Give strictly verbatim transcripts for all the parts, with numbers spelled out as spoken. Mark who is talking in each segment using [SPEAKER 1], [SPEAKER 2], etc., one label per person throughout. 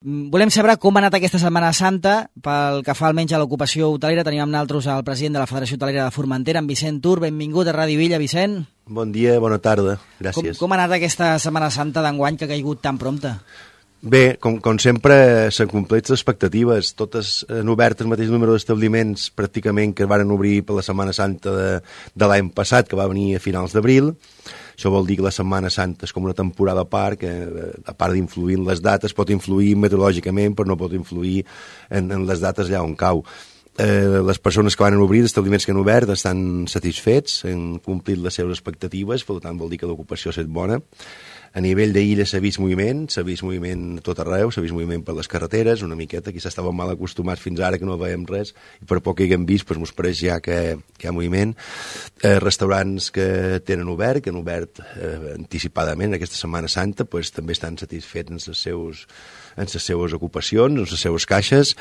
[SPEAKER 1] Volem saber com ha anat aquesta Setmana Santa. Pel que fa almenys a l'ocupació hotelera, tenim amb nosaltres el president de la Federació Hotelera de Formentera, en Vicent Tur. Benvingut a Ràdio Villa, Vicent.
[SPEAKER 2] Bon dia, bona tarda, gràcies.
[SPEAKER 1] Com, com ha anat aquesta Setmana Santa d'enguany que ha caigut tan prompte?
[SPEAKER 2] Bé, com, com sempre, s'han complert les expectatives. Totes han obert el mateix número d'establiments pràcticament que van obrir per la Setmana Santa de, de l'any passat, que va venir a finals d'abril. Això vol dir que la Setmana Santa és com una temporada a part, que a part d'influir en les dates, pot influir meteorològicament, però no pot influir en, en les dates allà on cau. Eh, les persones que van obrir, els establiments que han obert, estan satisfets, han complit les seves expectatives, per tant vol dir que l'ocupació ha estat bona. A nivell d'illa s'ha vist moviment, s'ha vist moviment a tot arreu, s'ha vist moviment per les carreteres, una miqueta, quizás estàvem mal acostumats fins ara que no veiem res, i per poc que haguem vist, doncs mos pareix ja que, que hi ha moviment. Eh, restaurants que tenen obert, que han obert eh, anticipadament aquesta Setmana Santa, doncs també estan satisfets en les seus, en les seves ocupacions, en les seves caixes.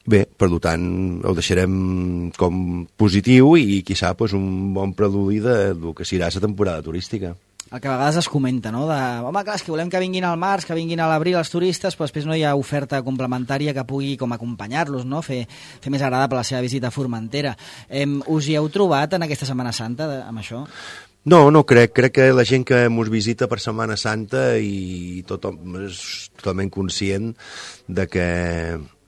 [SPEAKER 2] Bé, per tant, ho deixarem com positiu i, quizá, doncs, un bon preludi del que serà la temporada turística.
[SPEAKER 1] El que a vegades es comenta, no? De, home, clar, és que volem que vinguin al març, que vinguin a l'abril els turistes, però després no hi ha oferta complementària que pugui com acompanyar-los, no? Fer, fer més agradable la seva visita a Formentera. Eh, us hi heu trobat en aquesta Setmana Santa de, amb això?
[SPEAKER 2] No, no crec. Crec que la gent que ens visita per Setmana Santa i tothom és totalment conscient de que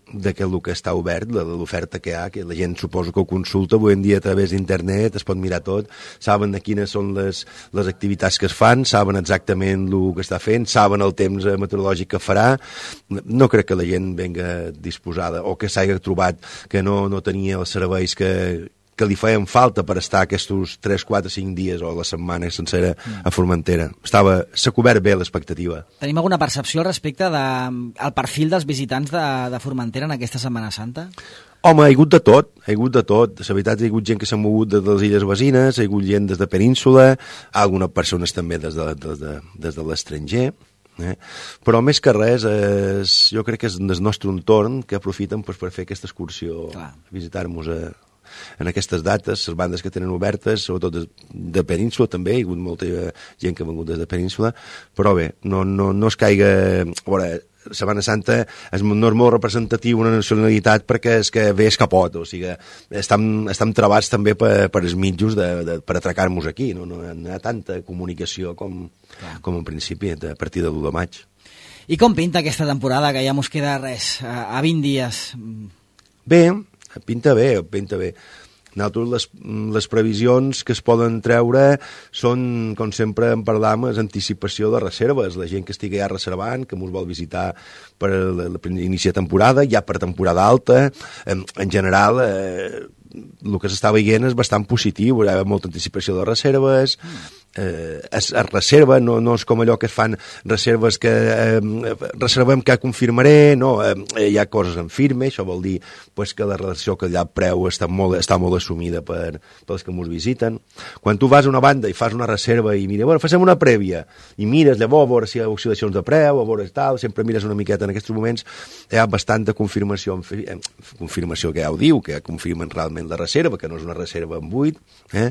[SPEAKER 2] de que el que està obert, de l'oferta que hi ha, que la gent suposo que ho consulta avui en dia a través d'internet, es pot mirar tot, saben de quines són les, les activitats que es fan, saben exactament el que està fent, saben el temps meteorològic que farà. No crec que la gent venga disposada o que s'hagi trobat que no, no tenia els serveis que que li feien falta per estar aquests tres, quatre, cinc dies o la setmana sencera a Formentera. Estava, s'ha cobert bé l'expectativa.
[SPEAKER 1] Tenim alguna percepció al respecte del de, perfil dels visitants de, de Formentera en aquesta Setmana Santa?
[SPEAKER 2] Home, ha hagut de tot, ha hagut de tot. La veritat, hi ha hagut gent que s'ha mogut des de les illes veïnes, hi ha hagut gent des de Península, algunes persones també des de, des de, des de l'estranger. Eh? Però més que res és, jo crec que és del nostre entorn que aprofiten pues, per fer aquesta excursió, Clar. visitar-nos a en aquestes dates, les bandes que tenen obertes, sobretot de, de Península també, hi ha hagut molta gent que ha vengut des de Península, però bé, no, no, no es caiga... A veure, Setmana Santa és, no és molt representatiu una nacionalitat perquè és que ve escapot, o sigui, estem, estem trebats també per, per els mitjos de, de, per atracar-nos aquí, no? No hi ha tanta comunicació com, com en principi, a partir de l'u de maig.
[SPEAKER 1] I com pinta aquesta temporada, que ja mos queda res, a, a vint dies?
[SPEAKER 2] Bé, pinta bé, pinta bé. Nosaltres les, les previsions que es poden treure són, com sempre en parlam, és anticipació de reserves. La gent que estigui ja reservant, que ens vol visitar per iniciar temporada, ja per temporada alta, en, en general eh, el que s'està veient és bastant positiu, hi ha molta anticipació de reserves, eh, es, es reserva, no, no és com allò que es fan reserves que eh, reservem que confirmaré, no, eh, hi ha coses en firme, això vol dir pues, que la relació que hi ha al preu està molt, està molt assumida per, pels que ens visiten. Quan tu vas a una banda i fas una reserva i mira, bueno, fem una prèvia, i mires llavors a veure si hi ha oscil·lacions de preu, a veure tal, sempre mires una miqueta en aquests moments, hi ha bastanta confirmació, en, confirmació que ja ho diu, que ja confirmen realment la reserva, que no és una reserva en buit, eh?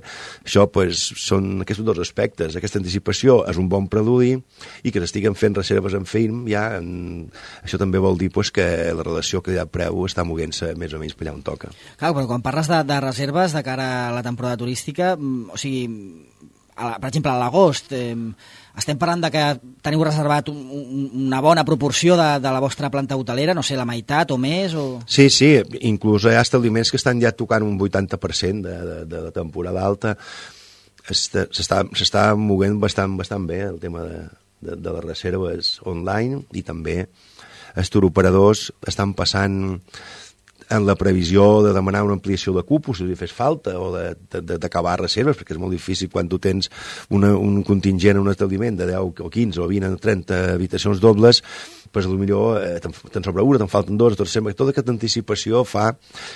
[SPEAKER 2] Això pues, són aquests dos aspectes. Aquesta anticipació és un bon preludi i que s'estiguen fent reserves en film, ja, en... això també vol dir pues, que la relació que hi ha preu està moguent-se més o menys per allà on toca.
[SPEAKER 1] Clar, però quan parles de, de reserves de cara a la temporada turística, o sigui, a la, per exemple, a l'agost, eh, estem parlant de que teniu reservat un, un, una bona proporció de, de la vostra planta hotelera, no sé, la meitat o més? O...
[SPEAKER 2] Sí, sí, inclús hi ha establiments que estan ja tocant un vuitanta per cent de, de, de la temporada alta. S'està movent bastant, bastant bé el tema de, de, de les reserves online i també els turoperadors estan passant en la previsió de demanar una ampliació de cupos, si li fes falta, o d'acabar reserves, perquè és molt difícil quan tu tens una, un contingent en un establiment de deu o quinze o vint o trenta habitacions dobles, pues, potser eh, te'n sobra una, te'n falten dos, tot sempre, tota aquesta anticipació fa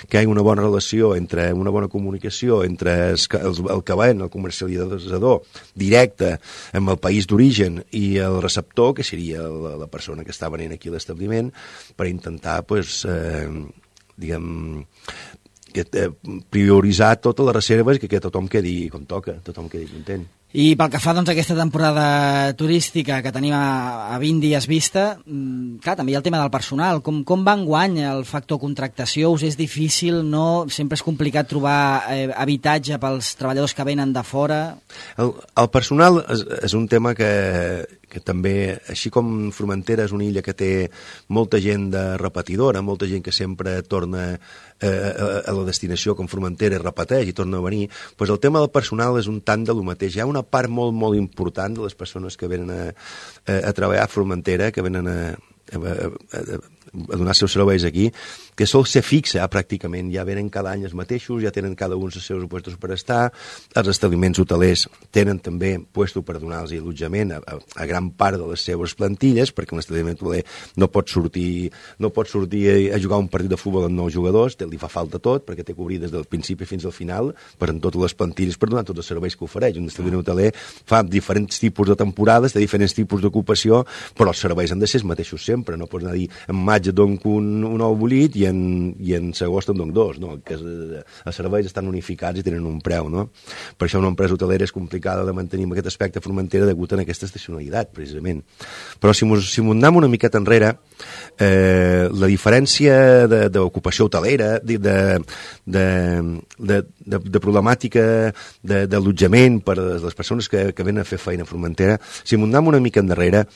[SPEAKER 2] que hi hagi una bona relació entre una bona comunicació entre el, el, el que ven, el comercialitzador directe amb el país d'origen i el receptor, que seria la, la persona que està venent aquí a l'establiment, per intentar pues, eh, diguem, prioritzar totes les reserves i que tothom quedi com toca, tothom quedi content.
[SPEAKER 1] I pel que fa doncs, a aquesta temporada turística que tenim a, a vint dies vista, clar, també hi ha el tema del personal. Com, com va enguany el factor contractació? Us és difícil, no? Sempre és complicat trobar eh, habitatge pels treballadors que venen de fora?
[SPEAKER 2] El, el personal és, és un tema que, que també, així com Formentera és una illa que té molta gent de repetidora, molta gent que sempre torna eh, a, a la destinació com Formentera i repeteix i torna a venir, doncs el tema del personal és un tant de lo mateix. Hi ha una part molt, molt important de les persones que venen a, a, a treballar a Formentera, que venen a, a, a, a donar els seus serveis aquí, que sol ser fixa pràcticament, ja venen cada any els mateixos, ja tenen cada un els seus puestos per estar, els establiments hotelers tenen també puesto per donar-los allotjament a, a, a gran part de les seves plantilles, perquè un establiment hoteler no pot sortir, no pot sortir a, a jugar un partit de futbol amb nou jugadors, li fa falta tot, perquè té que obrir des del principi fins al final, per en totes les plantilles, per donar tots els serveis que ofereix. Un establiment hoteler fa diferents tipus de temporades, de diferents tipus d'ocupació, però els serveis han de ser els mateixos sempre, no pots anar a dir en maig et dono un, un ou bullit i en, i en agost en dono dos, no? Que els serveis estan unificats i tenen un preu, no? Per això una empresa hotelera és complicada de mantenir amb aquest aspecte a Formentera degut a aquesta estacionalitat, precisament. Però si mos, si mos anem una miqueta enrere, eh, la diferència d'ocupació hotelera, de, de, de, de, de, de problemàtica d'allotjament per a les persones que, que venen a fer feina a Formentera, si mos anem una mica endarrere,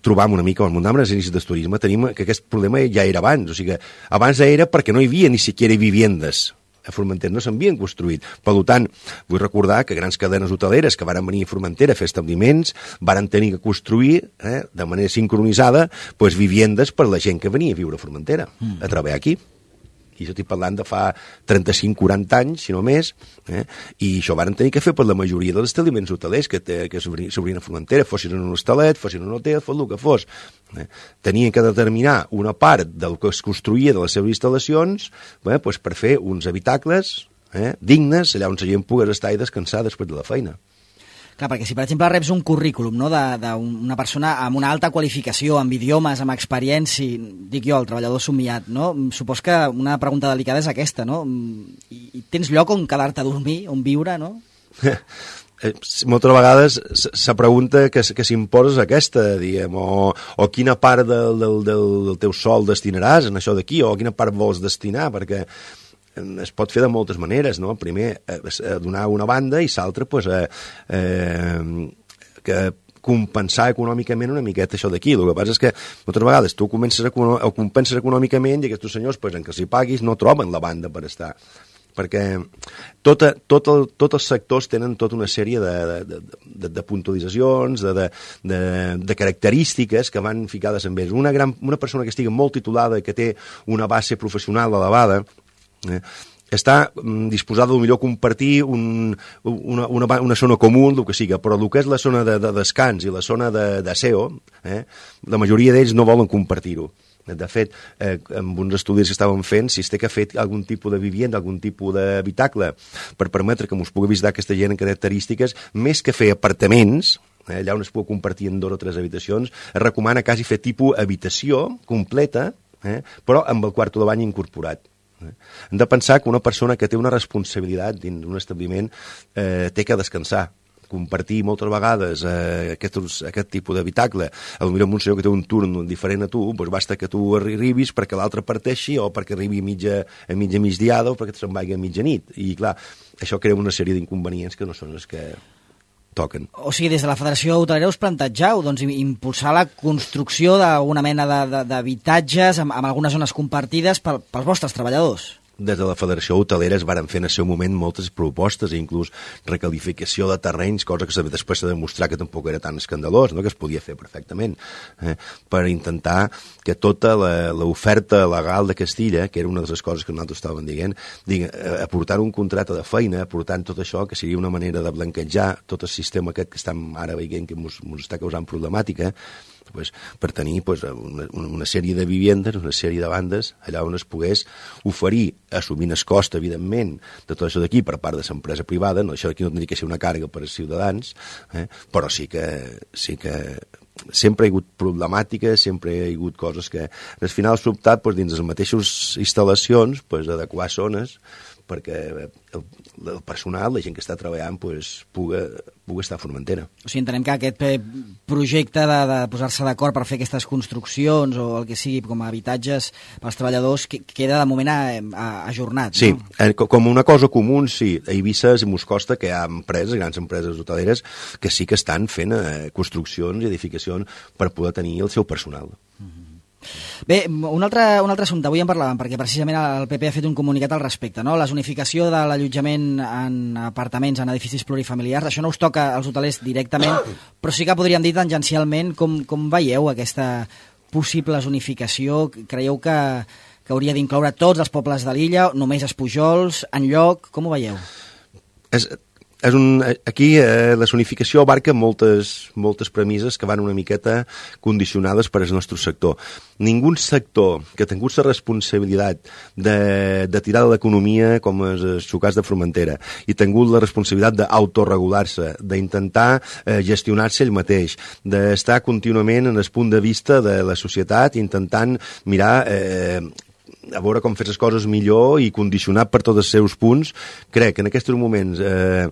[SPEAKER 2] trobam una mica, quan mos anem als inicis del turisme, tenim que aquest problema ja era abans, o sigui que abans era perquè no hi havia ni siquiera viviendes a Formentera, no s'havien construït. Per tant, vull recordar que grans cadenes hoteleres que van venir a Formentera a fer establiments van tenir que construir eh, de manera sincronitzada pues, viviendes per la gent que venia a viure a Formentera, mm. a treballar aquí. I això estic parlant de fa trenta-cinc quaranta anys, si no més, eh? I això van tenir que fer per la majoria dels establiments hotelers que, te, que s'obrien a Formentera, fossin en un hostalet, fossin en un hotel, fos el que fos. Eh? Tenien que determinar una part del que es construïa de les seves instal·lacions eh, pues per fer uns habitacles eh, dignes, allà on la gent pogués estar i descansar després de la feina.
[SPEAKER 1] Clar, perquè si, per exemple, reps un currículum no, d'una persona amb una alta qualificació, amb idiomes, amb experiència, dic jo, el treballador somiat, no? Supos que una pregunta delicada és aquesta, no? I, i tens lloc on quedar-te a dormir, on viure, no?
[SPEAKER 2] Moltes vegades se pregunta que, que s'imposes aquesta, diguem, o, o quina part del, del, del teu sou destinaràs en això d'aquí, o quina part vols destinar, perquè es pot fer de moltes maneres, no? Primer, eh, donar una banda i l'altra, pues, eh, eh, que compensar econòmicament una miqueta això d'aquí. El que passa és que moltes vegades tu comences a, o compenses econòmicament i aquests senyors, pues, en què s'hi paguis, no troben la banda per estar. Perquè tota, tot el, tots els sectors tenen tota una sèrie de, de, de, de puntualitzacions, de, de, de, de característiques que van ficades en ells. Una, gran, una persona que estigui molt titulada, que té una base professional elevada, Eh, està mm, disposada de millor compartir un, una, una, una zona comú, el que siga, però el que és la zona de, de descans i la zona d'aseo, eh, la majoria d'ells no volen compartir-ho. De fet, eh, amb uns estudis que estàvem fent, si es té que fer algun tipus de vivienda, algun tipus d'habitacle per permetre que ens pugui visitar aquesta gent en característiques, més que fer apartaments, eh, allà on es pugui compartir en dues o tres habitacions, es recomana quasi fer tipus habitació completa, eh, però amb el quarto de bany incorporat. Hem de pensar que una persona que té una responsabilitat dins d'un establiment eh, té que descansar, compartir moltes vegades eh, aquest, aquest tipus d'habitacle, potser amb un senyor que té un turn diferent a tu, doncs basta que tu arribis perquè l'altre parteixi o perquè arribi a mitja, a mitja migdiada o perquè se'n vagi a mitjanit. I clar, això crea una sèrie d'inconvenients que no són els que toquen.
[SPEAKER 1] O sigui, des de la Federació Hotelera us plantejau doncs, impulsar la construcció d'una mena d'habitatges amb, amb algunes zones compartides pel, pels vostres treballadors.
[SPEAKER 2] Des de la Federació Hotelera es varen fer en el seu moment moltes propostes, inclús recalificació de terrenys, cosa que després s'ha de demostrar que tampoc era tan escandalós, no? Que es podia fer perfectament, eh? Per intentar que tota l'oferta legal de Castilla, que era una de les coses que nosaltres estàvem dient, diguem, aportar un contracte de feina, aportant tot això, que seria una manera de blanquejar tot el sistema aquest que estem ara veient que ens està causant problemàtica, pues, per tenir pues, una, una sèrie de vivendes, una sèrie de bandes allà on es pogués oferir, assumint el cost, evidentment, de tot això d'aquí per part de l'empresa privada, no, això d'aquí no tindria que ser una càrrega per als ciutadans, eh, però sí que, sí que sempre hi ha hagut problemàtiques, sempre hi ha hagut coses que al final s'ha optat pues, dins les mateixes instal·lacions pues, adequar zones perquè el, el personal, la gent que està treballant, pues, pugui, pugui estar a Formentera.
[SPEAKER 1] O sigui, entenem que aquest projecte de, de posar-se d'acord per fer aquestes construccions o el que sigui com a habitatges pels treballadors que, queda de moment a, a, ajornat,
[SPEAKER 2] sí,
[SPEAKER 1] no?
[SPEAKER 2] Sí, com una cosa comú, sí. A Eivissa i mos costa que hi ha empreses, grans empreses hoteleres, que sí que estan fent eh, construccions i edificacions per poder tenir el seu personal.
[SPEAKER 1] Mm-hmm. Bé, un altre, un altre assumpte, avui en parlàvem, perquè precisament el P P ha fet un comunicat al respecte, no? La zonificació de l'allotjament en apartaments, en edificis plurifamiliars, això no us toca als hotelers directament, però sí que podríem dir tangencialment com, com veieu aquesta possible zonificació. Creieu que, que hauria d'incloure tots els pobles de l'illa, només Espujols, enlloc, com ho veieu?
[SPEAKER 2] És... És un, aquí eh, la zonificació abarca moltes, moltes premisses que van una miqueta condicionades per al nostre sector. Ningú sector que ha tingut la responsabilitat de, de tirar de l'economia com els xocats de Formentera i ha tingut la responsabilitat d'autoregular-se, d'intentar eh, gestionar-se ell mateix, d'estar contínuament en el punt de vista de la societat intentant mirar... Eh, a veure com fer les coses millor i condicionat per tots els seus punts, crec que en aquests moments eh,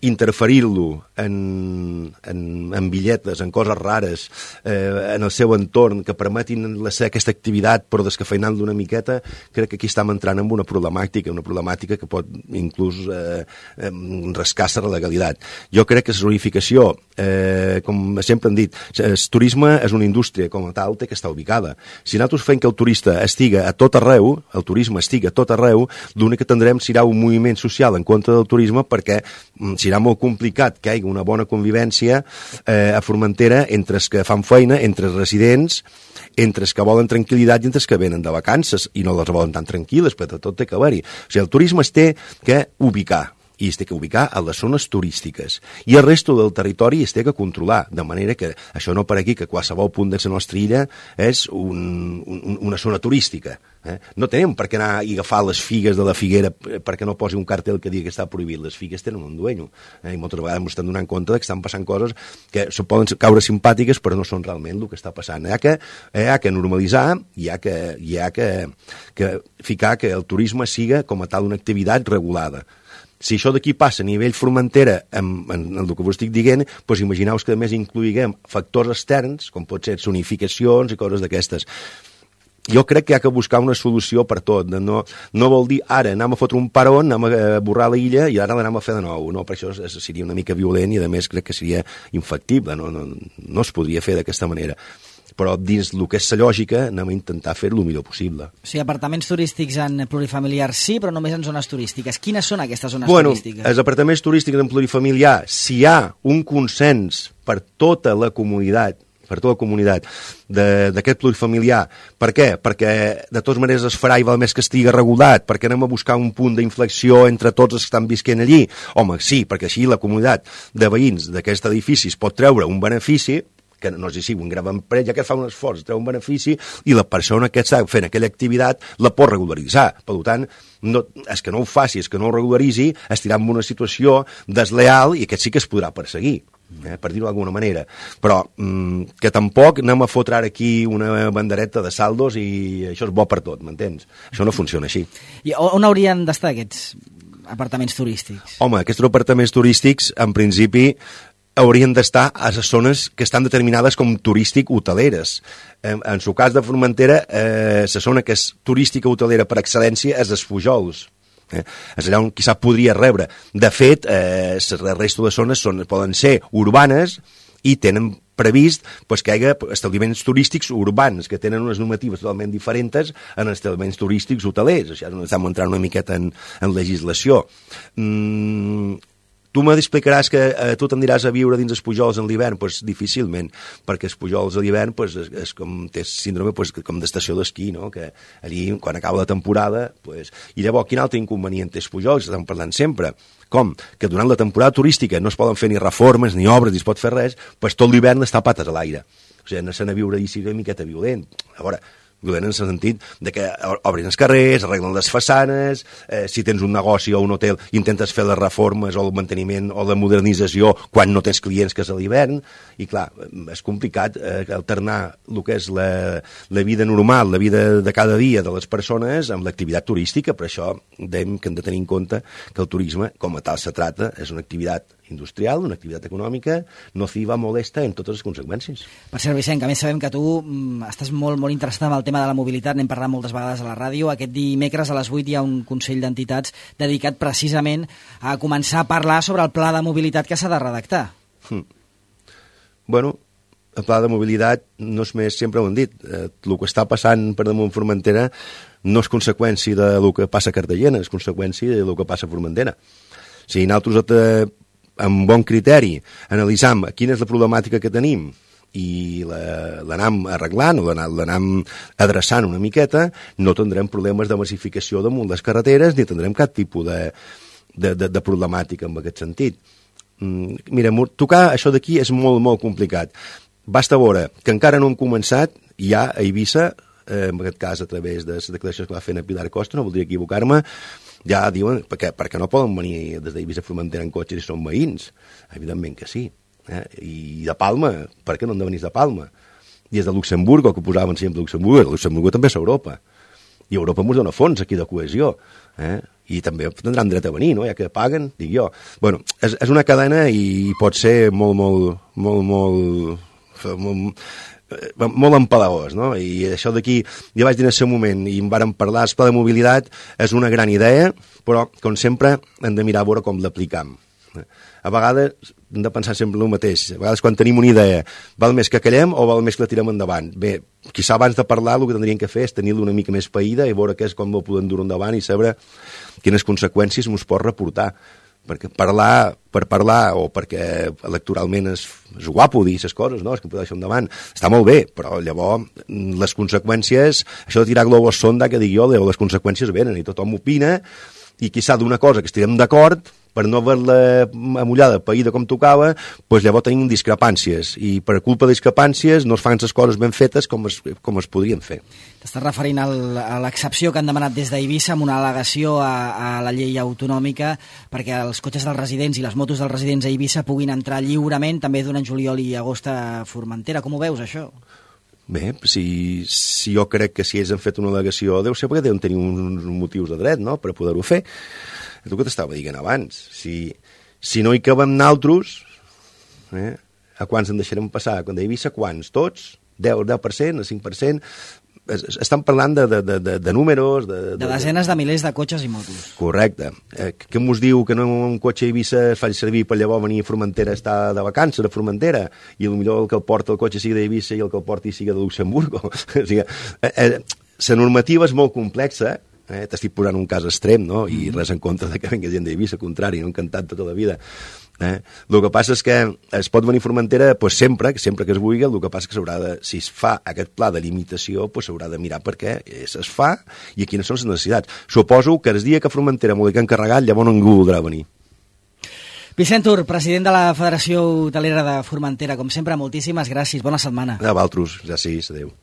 [SPEAKER 2] interferir-lo en, en, en bitlletes, en coses rares, eh, en el seu entorn, que permetin la, aquesta activitat però descafeinant-lo una miqueta, crec que aquí estem entrant en una problemàtica, una problemàtica que pot inclús eh, eh, rascar la legalitat. Jo crec que la zonificació, eh, com sempre hem dit, el turisme és una indústria com a tal, té que estar ubicada. Si nosaltres fem que el turista estiga a tot arreu, el turisme estiga a tot arreu, l'únic que tindrem serà un moviment social en contra del turisme perquè serà molt complicat que hi hagi una bona convivència eh, a Formentera entre els que fan feina, entre els residents, entre els que volen tranquil·litat i entre els que venen de vacances i no les volen tan tranquil·les, però tot té que haver-hi. O sigui, el turisme es té que ubicar i es té que ubicar a les zones turístiques i el resto del territori es té que controlar, de manera que això no per aquí que qualsevol punt de la nostra illa és un, un, una zona turística. Eh? No tenim per què anar i agafar les figues de la figuera perquè no posi un cartell que digui que està prohibit. Les figues tenen un dueño, eh? I moltes vegades ens estan donant compte que estan passant coses que poden caure simpàtiques però no són realment el que està passant. Hi ha que, hi ha que normalitzar, hi ha que, hi ha que, que ficar que el turisme siga com a tal una activitat regulada. Si això d'aquí passa a nivell Formentera en, en, en el que vos estic dient, doncs imagineu que a més incloïguem factors externs, com pot ser zonificacions i coses d'aquestes. Jo crec que hi ha que buscar una solució per tot. No, no vol dir ara anem a fotre un paron, anem a borrar la illa i ara l'anem a fer de nou. No, per això seria una mica violent i a més crec que seria infactible. No, no, no es podria fer d'aquesta manera. Però dins el que és la lògica anem a intentar fer-ho el millor possible.
[SPEAKER 1] O sigui, apartaments turístics en plurifamiliar sí, però només en zones turístiques. Quines són aquestes zones
[SPEAKER 2] bueno,
[SPEAKER 1] turístiques?
[SPEAKER 2] Els apartaments turístics en plurifamiliar, si hi ha un consens per tota la comunitat, per tota la comunitat d'aquest plurifamiliar. Per què? Perquè de totes maneres es farà i val més que estigui regulat, perquè anem a buscar un punt d'inflexió entre tots els que estan visquent allí. Home, sí, perquè així la comunitat de veïns d'aquest edifici es pot treure un benefici, que no sé si un gran empresa, ja que fa un esforç, treu un benefici, i la persona que està fent aquella activitat la pot regularitzar. Per tant, no, és que no ho faci, és que no ho regularitzi, estirà en una situació desleal i aquest sí que es podrà perseguir. Eh, per dir-ho d'alguna manera, però mm, que tampoc anem a fotre ara aquí una bandereta de saldos i això és bo per tot, m'entens? Això no funciona així.
[SPEAKER 1] I on haurien d'estar aquests apartaments turístics?
[SPEAKER 2] Home, aquests apartaments turístics, en principi, haurien d'estar a les zones que estan determinades com turístic-hoteleres. En, en el cas de Formentera, eh, la zona que és turística-hotelera per excel·lència és els Pujols. Eh? És allà on quizà podria rebre. De fet, eh, la resta de zones són, poden ser urbanes i tenen previst pues, que hi hagi establiments turístics urbans que tenen unes normatives totalment diferents en establiments turístics hotelers. Això és on estem entrant una miqueta en, en legislació. Mm, tu m'explicaràs que eh, tu t'aniràs a viure dins els Pujols en l'hivern? Doncs pues, difícilment, perquè els Pujols a l'hivern pues, és, és com, té síndrome pues, com d'estació d'esquí, no? Que allí, quan acaba la temporada... Pues... I llavors, quin altre inconvenient té els Pujols? Estem parlant sempre. Com? Que durant la temporada turística no es poden fer ni reformes, ni obres, ni es pot fer res, pues, tot l'hivern està pates a l'aire. O sigui, anar-se'n a viure i sigui una miqueta violent. A veure, dolent en el sentit de que obrin els carrers, arreglen les façanes, eh, si tens un negoci o un hotel intentes fer les reformes o el manteniment o la modernització quan no tens clients, que és a l'hivern, i clar, és complicat eh, alternar el que és la, la vida normal, la vida de cada dia de les persones amb l'activitat turística. Per això dèiem que hem de tenir en compte que el turisme, com a tal se trata, és una activitat industrial, una activitat econòmica nociva, molesta en totes les conseqüències.
[SPEAKER 1] Per cert, Vicent, que a més sabem que tu mm, estàs molt, molt interessat en el tema de la mobilitat, n'hem parlat moltes vegades a la ràdio. Aquest dimecres a les vuit hi ha un Consell d'Entitats dedicat precisament a començar a parlar sobre el pla de mobilitat que s'ha de redactar.
[SPEAKER 2] Hmm. Bueno, el pla de mobilitat no és més, sempre ho hem dit, eh, el que està passant per damunt Formentera no és conseqüència del que passa a Cartagena, és conseqüència del que passa a Formentera. Si nosaltres eh, amb bon criteri analitzam quina és la problemàtica que tenim i l'anam arreglant o l'anam adreçant una miqueta, no tindrem problemes de massificació damunt les carreteres ni tindrem cap tipus de, de, de, de problemàtica en aquest sentit. Mm, mira, tocar això d'aquí és molt, molt complicat. Basta veure que encara no hem començat, ja a Eivissa, eh, en aquest cas a través de les declaracions que va fer a Pilar Costa, no voldria equivocar-me, ja diuen perquè, perquè no poden venir des d'Eivissa a Formentera en cotxe si són veïns. Evidentment que sí. Eh? I de Palma, per què no han de venir de Palma? I és de Luxemburg, el que posaven sempre Luxemburg, Luxemburg també és Europa. I Europa ens dona fons aquí de cohesió. Eh? I també tindran dret a venir, no? Ja que paguen, dic jo. Bueno, és, és una cadena i pot ser molt, molt, molt, molt, molt molt empalagós, no? I això d'aquí, ja vaig dir en el seu moment, i em vàrem parlar, el pla de mobilitat és una gran idea, però, com sempre, hem de mirar a veure com l'aplicam. A vegades hem de pensar sempre el mateix. A vegades, quan tenim una idea, val més que callem o val més que la tirem endavant? Bé, quizà abans de parlar, el que tindríem que fer és tenir-la una mica més païda i veure què és com ho podem dur endavant i saber quines conseqüències ens pot reportar. Perquè parlar per parlar o perquè electoralment és, és guapo dir aquestes coses, no? És que podeu deixar endavant. Està molt bé, però llavors les conseqüències, això de tirar globus sonda, que dic jo, les conseqüències venen i tothom opina i quizà d'una cosa que estirem d'acord, per no haver-la amullada, païda com tocava, doncs llavors tenim discrepàncies i per culpa de discrepàncies no es fan les coses ben fetes com es, com es podrien fer.
[SPEAKER 1] T'estàs referint al, a l'excepció que han demanat des d'Eivissa amb una al·legació a, a la llei autonòmica perquè els cotxes dels residents i les motos dels residents a Eivissa puguin entrar lliurement també durant juliol i agost a Formentera. Com ho veus, això?
[SPEAKER 2] Bé, si, si jo crec que si ells han fet una al·legació deu ser perquè deuen tenir uns motius de dret, no?, per poder-ho fer. És el que t'estava dient abans. Si, si no hi cabem naltros, eh, a quants en deixarem passar? Quan d'Eivissa, quants? Tots? deu, deu per cent, cinc per cent? Estan parlant de, de, de, de números... De,
[SPEAKER 1] de, de desenes de milers de cotxes i motos.
[SPEAKER 2] Correcte. Eh, què mos diu que no un cotxe a Eivissa es faci servir per llavors venir a Formentera a estar de vacances a Formentera i potser el que el porta el cotxe sigui d'Eivissa i el que el porti sigui de Luxemburgo? O sigui, eh, eh, la normativa és molt complexa. Eh, t'estic posant un cas extrem, no? I res en contra de que vengui gent d'Eivissa, al contrari, no? Encantat tota la vida. Eh? El que passa és que es pot venir a Formentera pues, sempre, sempre que es vulgui, el que passa és que s'haurà de, si es fa aquest pla de limitació, pues, s'haurà de mirar per què es fa i quines són les necessitats. Suposo que el dia que a Formentera m'ho dic encarregat, llavors ningú voldrà venir.
[SPEAKER 1] Vicent Tur, president de la Federació Hotelera de Formentera, com sempre, moltíssimes gràcies, bona setmana.
[SPEAKER 2] A vosaltres, ja sí, adéu.